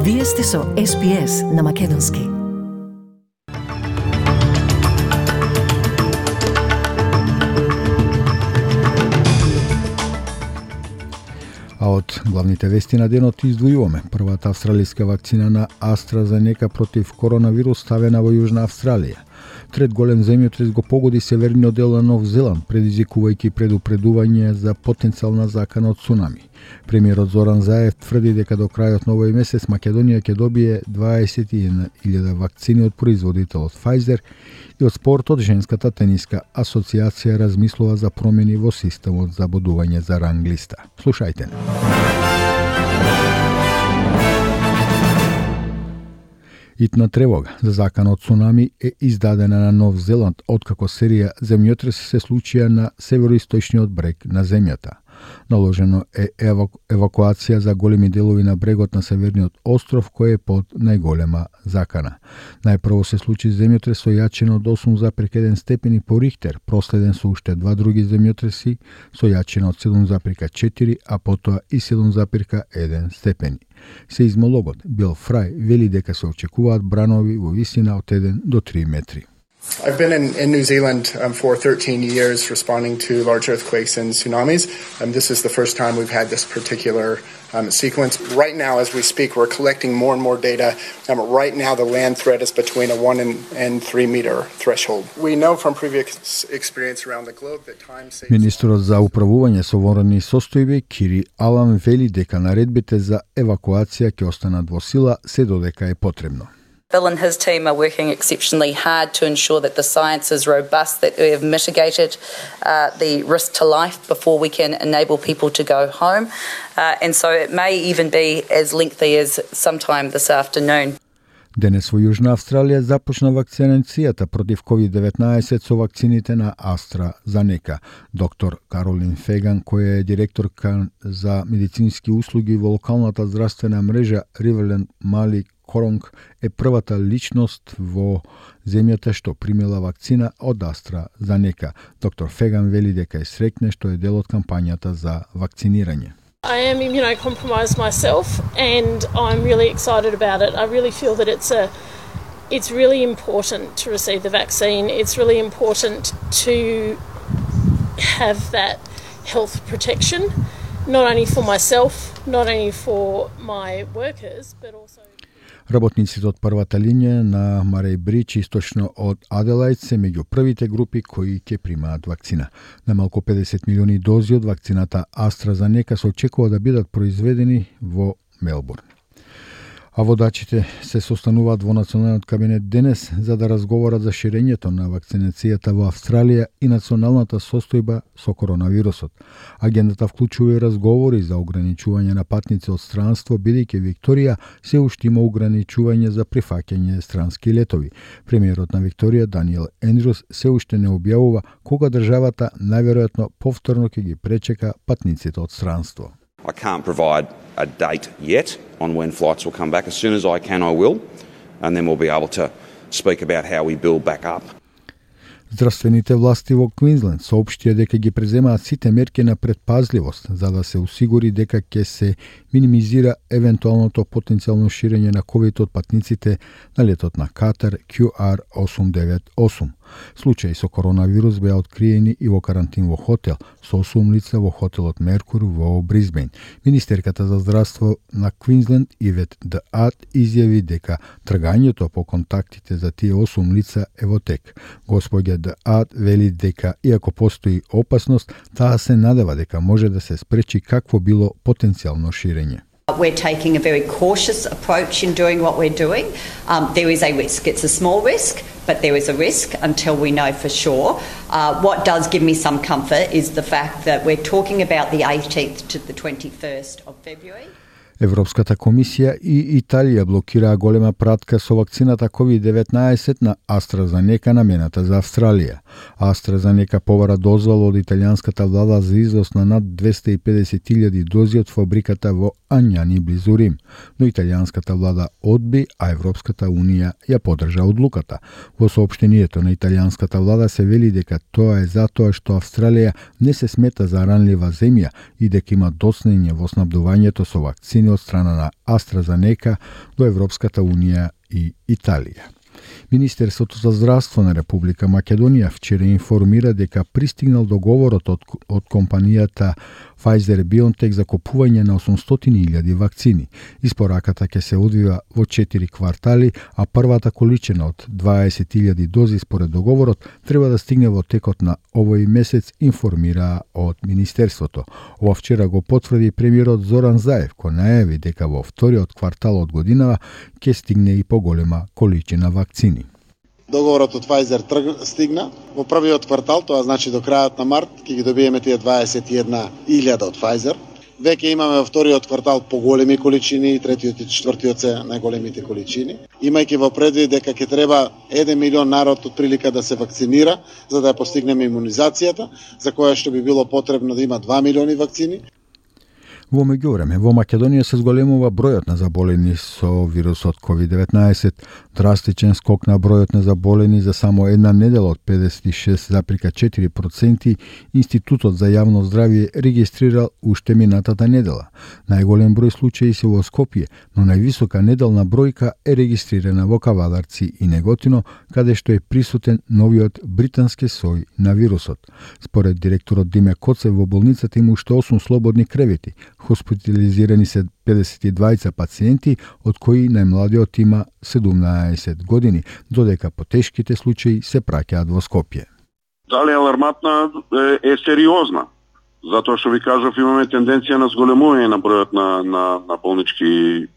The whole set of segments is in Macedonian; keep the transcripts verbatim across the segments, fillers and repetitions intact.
Вие сте со Ес Би Ес на Македонски. А од главните вести на денот издвојуваме првата австралиска вакцина на AstraZeneca против коронавирус ставена во Јужна Австралија. Трет голем земјотрес го погоди северниот дел на Нов Зеланд, предизвикувајќи предупредување за потенцијална закана од цунами. Премиерот Зоран Заев тврди дека до крајот на овој месец Македонија ќе добие дваесет и една илјада вакцини од производителот Pfizer и од спортот женската тениска асоциација размислува за промени во системот за бодување за ранглиста. Слушајте. Итна тревога за закана од цунами е издадена на Нов Зеланд откако серија земјотреси се случија на североисточниот брег на земјата. Наложено е еваку... евакуација за големи делови на брегот на северниот остров кој е под најголема закана. Најпрво се случи земјотрес со јачина од осум зарез еден степени по Рихтер, проследен со уште два други земјотреси со јачина од седум зарез четири, а потоа и седум зарез еден степени. Сеизмологот Бил Фрај вели дека се очекуваат бранови во висина од еден до три метри. I've been in, in New Zealand um, for thirteen years responding to large earthquakes and tsunamis. Um, this is the first time we've had this particular um, sequence. Right now, as we speak, we're collecting more and more data. Um, right now, the land threat is between a one and, and three meter threshold. We know from previous experience around the globe that time saves... Министерот за управување со вонредни состојби Кири Алан вели дека наредбите за евакуација ќе останат во сила се додека е потребно. Bill and his team are working exceptionally hard to ensure that the science is robust, that we have mitigated uh, the risk to life before we can enable people to go home. Uh, and so it may even be as lengthy as sometime this afternoon. Денес во Јужна Австралија започна вакцинацијата против ковид деветнаесет со вакцините на AstraZeneca. Доктор Каролин Феган, која е директорка за медицински услуги во локалната здравствена мрежа Riverland Мали Коронг, е првата личност во земјата што примила вакцина од AstraZeneca. Доктор Феган вели дека е среќна што е дел од кампањата за вакцинирање. I am immunocompromised myself and I'm really excited about it. I really feel that it's a it's really important to receive the vaccine. It's really important to have that health protection, not only for myself, not only for my workers, but also Работниците од првата линија на Мареј Бридж, источно од Аделајд, се меѓу првите групи кои ќе примаат вакцина. Најмалку педесет милиони дози од вакцината AstraZeneca се очекува да бидат произведени во Мелбурн. А водачите се состануваат во националниот кабинет денес за да разговорат за ширењето на вакцинацијата во Австралија и националната состојба со коронавирусот. Агендата вклучува и разговори за ограничување на патници од странство, бидејќи Викторија се уште има ограничување за прифаќање странски летови. Премиерот на Викторија Даниел Ендрюс се уште не објавува кога државата најверојатно повторно ќе ги пречека патниците од странство. I can't provide a date yet on when flights will come back. As soon as I can, I will, and then we'll be able to speak about how we build back up. Здравствените власти во Квинсленд соопштија дека ги преземаат сите мерки на предпазливост за да се осигури дека ќе се минимизира евентуалното потенцијално ширење на ковид од патниците на летот на Катар Q R осум девет осум. Случаи со коронавирус беа откриени и во карантин во хотел со осум лица во хотелот Меркур во Брисбејн. Министерката за здравство на Квинсленд Ивет Д Ад изјави дека тргањето по контактите за тие осум лица е во тек. Господја Д Ад вели дека иако постои опасност, таа се надева дека може да се спречи какво било потенцијално ширење. We're taking a very cautious approach in doing what we're doing. Um, there is a risk. It's a small risk, but there is a risk until we know for sure. Uh, what does give me some comfort is the fact that we're talking about the eighteenth to the twenty-first of February. Европската комисија и Италија блокираа голема пратка со вакцината ковид деветнаесет на AstraZeneca намената за Австралија. AstraZeneca побара дозвола од италијанската влада за износ на над двесте и педесет илјади дози од фабриката во Ањани близу Рим, но италијанската влада одби, а Европската унија ја поддржа одлуката. Во соопштението на италијанската влада се вели дека тоа е затоа што Австралија не се смета за ранлива земја и дека има доснење во снабдувањето со вакцини вакцини од страна на AstraZeneca до Европската Унија и Италија. Министерството за здравство на Република Македонија вчера информира дека пристигнал договорот од, од компанијата Pfizer-BioNTech за купување на осумстотини илјади вакцини. Испораката ќе се одвива во четири квартали, а првата количина од дваесет илјади дози според договорот треба да стигне во текот на овој месец, информира од Министерството. Ова вчера го потврди премиерот Зоран Заев, кој најави дека во вториот квартал од годинава ќе стигне и поголема количина вакцини. Договорот од Pfizer трг стигна во првиот квартал, тоа значи до крајот на март ќе ги добиеме тие дваесет и една илјада од Pfizer. Веќе имаме во вториот квартал поголеми количини и третиот и четвртиот се најголемите количини. Имајќи во предвид дека ќе треба еден милион народ од прилика да се вакцинира за да ја постигнеме имунизацијата, за која што би било потребно да има два милиони вакцини. Во меѓувреме, во Македонија се зголемува бројот на заболени со вирусот ковид деветнаесет. Драстичен скок на бројот на заболени за само една недела од педесет и шест запирка четири проценти Институтот за јавно здравје регистрирал уште минатата недела. Најголем број случаи се во Скопје, но највисока неделна бројка е регистрирана во Кавадарци и Неготино, каде што е присутен новиот британски сој на вирусот. Според директорот Диме Коцев, во болницата има уште осум слободни кревети. Хоспитализирани се педесет и двајца пациенти, од кои најмладиот има седумнаесет години, додека потешките случаи се праќаат во Скопје. Дали аларматна е, е сериозна, затоа што ви кажав имаме тенденција на зголемување на бројот на, на, на болнички е,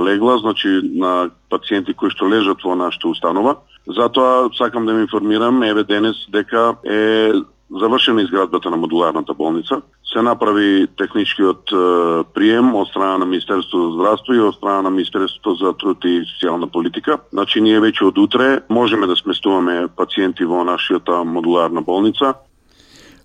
легла, значи на пациенти кои што лежат во нашата установа. Затоа сакам да ме информирам, еве денес, дека е завршена изградбата на модуларната болница. Се направи техничкиот е, прием од страна на Министерството за здравство и од страна на Министерството за труд и социјална политика. Значи ние веќе од утре можеме да сместуваме пациенти во нашата модуларна болница.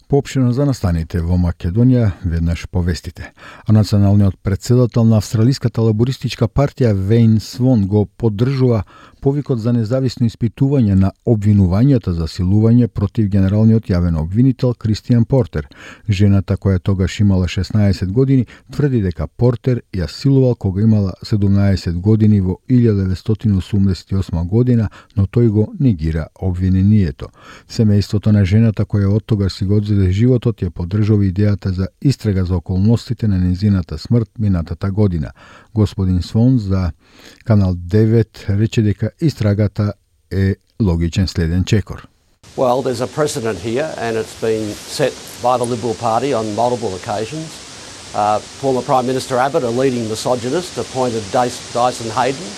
Поопштено за настаните во Македонија веднаш повестите. А националниот претседател на Австралиската лабористичка партија Вейн Свон го поддржува повикот за независно испитување на обвинувањата за силување против генералниот јавен обвинител Кристијан Портер. Жената, која тогаш имала шеснаесет години, тврди дека Портер ја силувал кога имала седумнаесет години во илјада деветстотини осумдесет и осма година, но тој го негира обвинението. Семејството на жената, која од тогаш си го одзеде животот, ја поддржува идејата за истрага за околностите на незината смрт минатата година. Господин Свон за Канал девет рече дека истрагата е логичен следен чекор. Well, there's a precedent here and it's been set by the Liberal Party on multiple occasions. Uh, former Prime Minister Abbott, a leading misogynist, appointed Dyson Hayden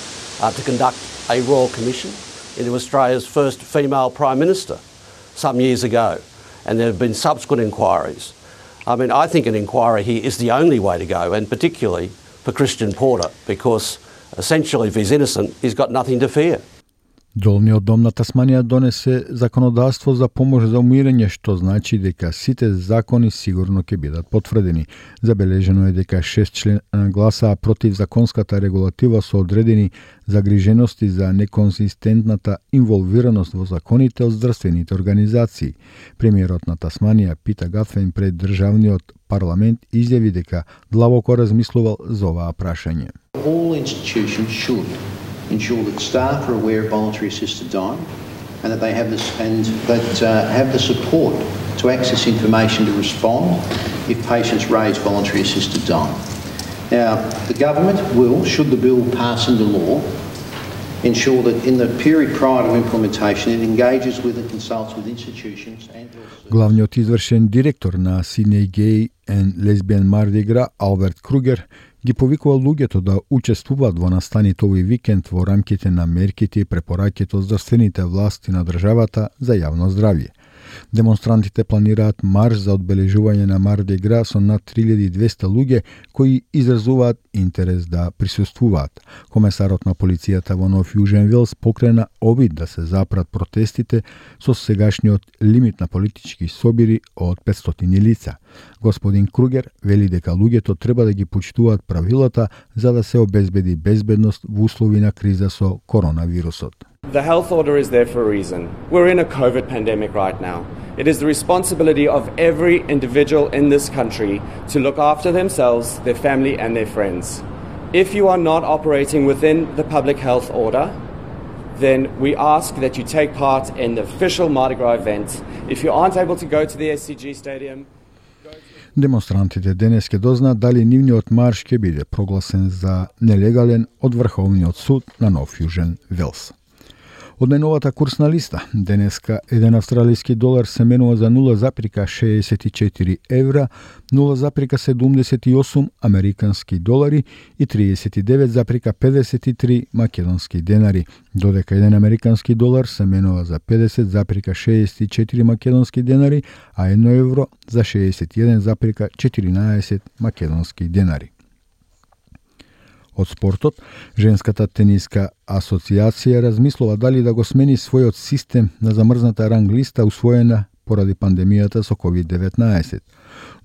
uh, to conduct a royal commission into Australia's first female Prime Minister some years ago. And there have been subsequent inquiries. I mean, I think an inquiry here is the only way to go, and particularly for Christian Porter, because essentially if he's innocent, he's got nothing to fear. Долниот дом на Тасманија донесе законодавство за помош за умирање, што значи дека сите закони сигурно ќе бидат потврдени. Забележено е дека шест члена гласаа против законската регулатива со одредени загрижености за неконзистентната инволвираност во законите од здравствените организации. Премиерот на Тасманија Питер Гафен пред државниот парламент изјави дека длабоко размислувал за оваа прашање. All institutions should ensure that staff are aware of voluntary assisted dying and that they have this and that uh, have the support to access information to respond if patients raise voluntary assisted dying. Now, the government will, should the bill pass into law, ensure that in the period prior to implementation it engages with and consults with institutions and Главниот извршен директор на Sydney Gay and Lesbian Mardi Gras Алберт Кругер ги повикува луѓето да учествуваат во настаните овој викенд во рамките на мерките и препораките од здравствените власти на државата за јавно здравје. Демонстрантите планираат марш за одбележување на Марди Гра со над три илјади и двесте луѓе кои изразуваат интерес да присуствуваат. Комесарот на полицијата во Нов Јужен Велс покрена обид да се запрат протестите со сегашниот лимит на политички собири од петстотини лица. Господин Кругер вели дека луѓето треба да ги почитуваат правилата за да се обезбеди безбедност во услови на криза со коронавирусот. The health order is there for a reason. We're in a COVID pandemic right now. It is the responsibility of every individual in this country to look after themselves, their family and their friends. If you are not operating within the public health order, then we ask that you take part in the official Mardi Gras event. If you aren't able to go to the S C G Stadium, демонстрантите денес ќе дознаат дали нивниот марш ќе биде прогласен за нелегален од Врховниот суд на Нов Јужен Велс. Од најновата курсна листа, денеска еден австралиски долар се менува за нула запирка шеесет и четири евра, нула запирка седумдесет и осум американски долари и триесет и девет запирка педесет и три македонски денари, додека еден американски долар се менува за педесет запирка шеесет и четири македонски денари, а едно евро за шеесет и еден запирка четиринаесет македонски денари. Од спортот, Женската тениска асоциација размислува дали да го смени својот систем на замрзната ранг листа усвоена поради пандемијата со ковид деветнаесет.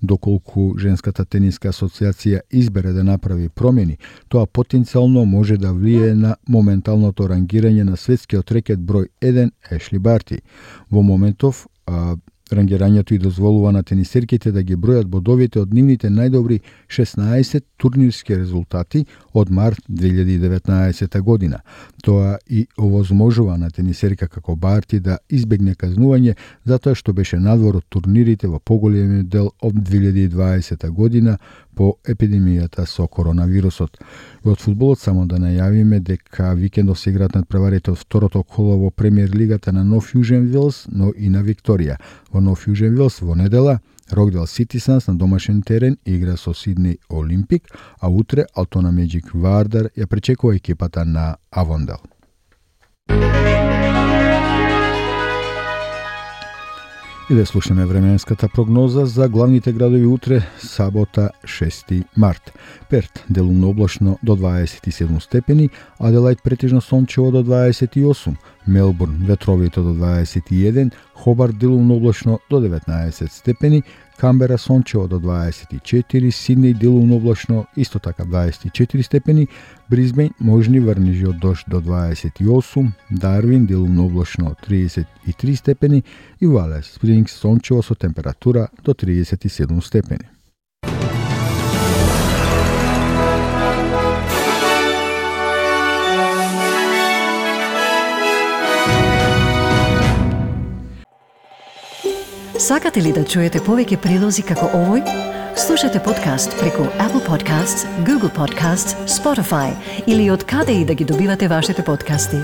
Доколку Женската тениска асоциација избере да направи промени, тоа потенцијално може да влие на моменталното рангирање на светскиот рекет број еден Ешли Барти. Во моментов, а, рангирањето и дозволува на тенисерките да ги бројат бодовите од нивните најдобри шеснаесет турнирски резултати од март две илјади и деветнаесета година. Тоа и овозможува на тенисерка како Барти да избегне казнување затоа што беше надвор од турнирите во поголемиот дел од две илјади и дваесета година по епидемијата со коронавирусот. И од фудбалот само да најавиме дека викендов се играат надпреварите од второто коло во премиер лигата на Нов Јужен Велс, но и на Викторија. Во Нов Јужен Велс во недела Рокдел Ситисанс на домашен терен игра со Сиднеј Олимпик, а утре Алтона Меджик Вардар ја пречекува екипата на Авондел. И да слушаме временската прогноза за главните градови утре, сабота шести март. Перт делумно облачно до дваесет и седум степени, Аделајд претежно сончево до дваесет и осум, Мелбурн ветровито до дваесет и еден, Хобарт делумно облачно до деветнаесет степени, Камбера сончево до дваесет и четири, Сиднеј делумно облачно исто така дваесет и четири степени, Бризбејн можни врнежи од дожд до дваесет и осум, Дарвин делумно облачно триесет и три степени и Валес Спрингс сончево со температура до триесет и седум степени. Сакате ли да чуете повеќе прилози како овој? Слушате подкаст преку Apple Podcasts, Google Podcasts, Spotify или од каде и да ги добивате вашите подкасти.